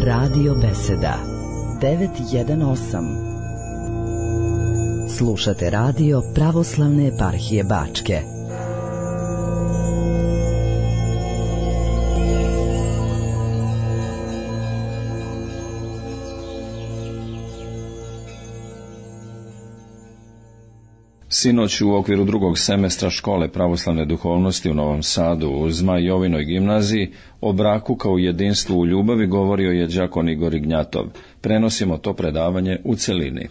Radio Beseda 918. Slušate radio Pravoslavne eparhije Bačke. Sinoć u okviru drugog semestra škole pravoslavne duhovnosti u Novom Sadu u Zmaj Jovinoj gimnaziji o braku kao jedinstvu u ljubavi govorio je đakon Igor Ignjatov. Prenosimo to predavanje u celini.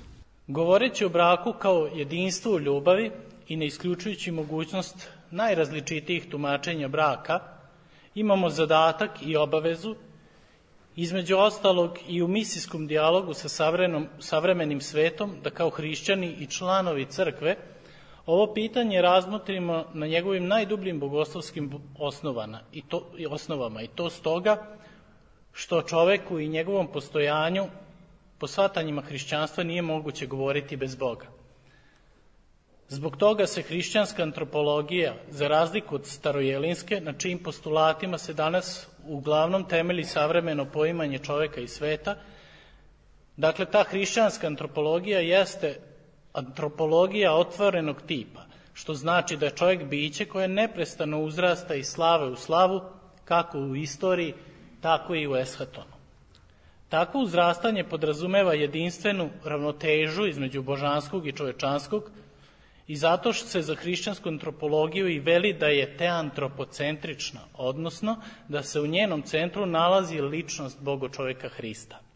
Govoreći o braku kao jedinstvu u ljubavi i ne isključujući mogućnost najrazličitijih tumačenja braka, imamo zadatak i obavezu, između ostalog i u misijskom dijalogu sa savremenim svetom, da kao hrišćani i članovi crkve ovo pitanje razmotrimo na njegovim najdubljim bogoslovskim osnovama i to stoga što čoveku i njegovom postojanju po shvatanjima hrišćanstva nije moguće govoriti bez Boga. Zbog toga se hrišćanska antropologija, za razliku od starojelinske, na čijim postulatima se danas uglavnom temelji savremeno poimanje čoveka i sveta, dakle ta hrišćanska antropologija jeste antropologija otvorenog tipa, što znači da je čovjek biće koje neprestano uzrasta iz slave u slavu, kako u istoriji, tako i u eshatonu. Takvo uzrastanje podrazumeva jedinstvenu ravnotežu između božanskog i čovečanskog i zato što se za hrišćansku antropologiju i veli da je teantropocentrična, odnosno da se u njenom centru nalazi ličnost Boga čovjeka Hrista.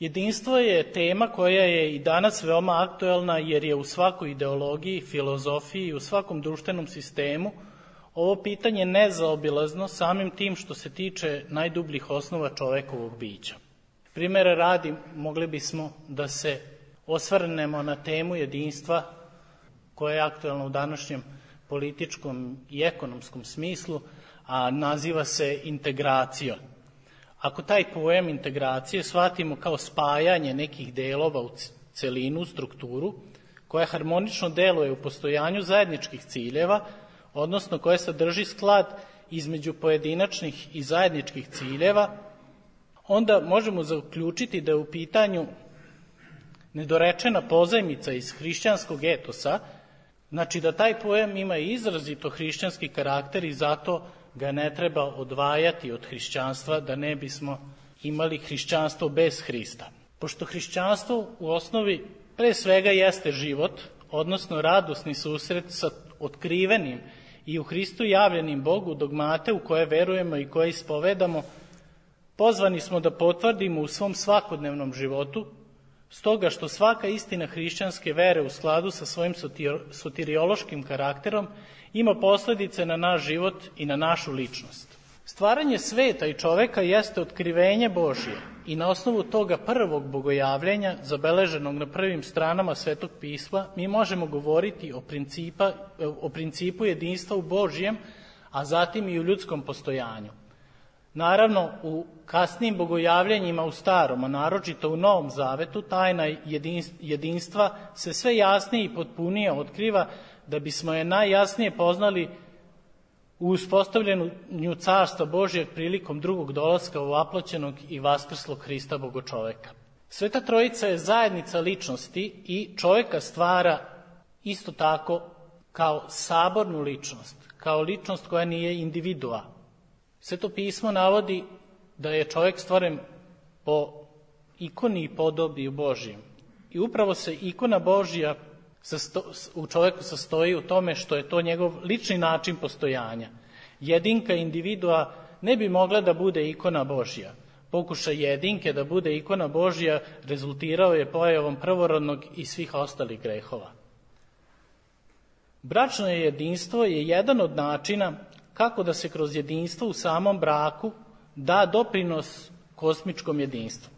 Jedinstvo je tema koja je i danas veoma aktuelna jer je u svakoj ideologiji, filozofiji i u svakom društvenom sistemu ovo pitanje nezaobilazno samim tim što se tiče najdubljih osnova čovekovog bića. Primere radi, mogli bismo da se osvrnemo na temu jedinstva koja je aktuelna u današnjem političkom i ekonomskom smislu, a naziva se integracijom. Ako taj pojam integracije shvatimo kao spajanje nekih delova u celinu, strukturu, koja harmonično deluje u postojanju zajedničkih ciljeva, odnosno koja sadrži sklad između pojedinačnih i zajedničkih ciljeva, onda možemo zaključiti da je u pitanju nedorečena pozajmica iz hrišćanskog etosa, znači da taj pojam ima izrazito hrišćanski karakter i zato ga ne treba odvajati od hrišćanstva, da ne bismo imali hrišćanstvo bez Hrista. Pošto hrišćanstvo u osnovi pre svega jeste život, odnosno radosni susret sa otkrivenim i u Hristu javljenim Bogu dogmate u koje verujemo i koje ispovedamo, pozvani smo da potvrdimo u svom svakodnevnom životu, stoga što svaka istina hrišćanske vere u skladu sa svojim soteriološkim karakterom ima posledice na naš život i na našu ličnost. Stvaranje sveta i čoveka jeste otkrivenje Božje i na osnovu toga prvog bogojavljenja, zabeleženog na prvim stranama Svetog pisma, mi možemo govoriti o principu jedinstva u Božjem, a zatim i u ljudskom postojanju. Naravno, u kasnijim bogojavljenjima u Starom, a naročito u Novom Zavetu, tajna jedinstva se sve jasnije i potpunije otkriva da bismo je najjasnije poznali u uspostavljanju Carstva Božjeg prilikom drugog dolaska ovaploćenog i vaskrslog Hrista Bogočoveka. Sveta Trojica je zajednica ličnosti i čoveka stvara isto tako kao sabornu ličnost, kao ličnost koja nije individua. Sveto pismo navodi da je čovjek stvoren po ikoni i podobiju Božjem. I upravo se ikona Božja u čovjeku sastoji u tome što je to njegov lični način postojanja. Jedinka individua ne bi mogla da bude ikona Božja. Pokušaj jedinke da bude ikona Božja rezultirao je pojavom prvorodnog i svih ostalih grehova. Bračno jedinstvo je jedan od načina kako da se kroz jedinstvo u samom braku da doprinos kosmičkom jedinstvu.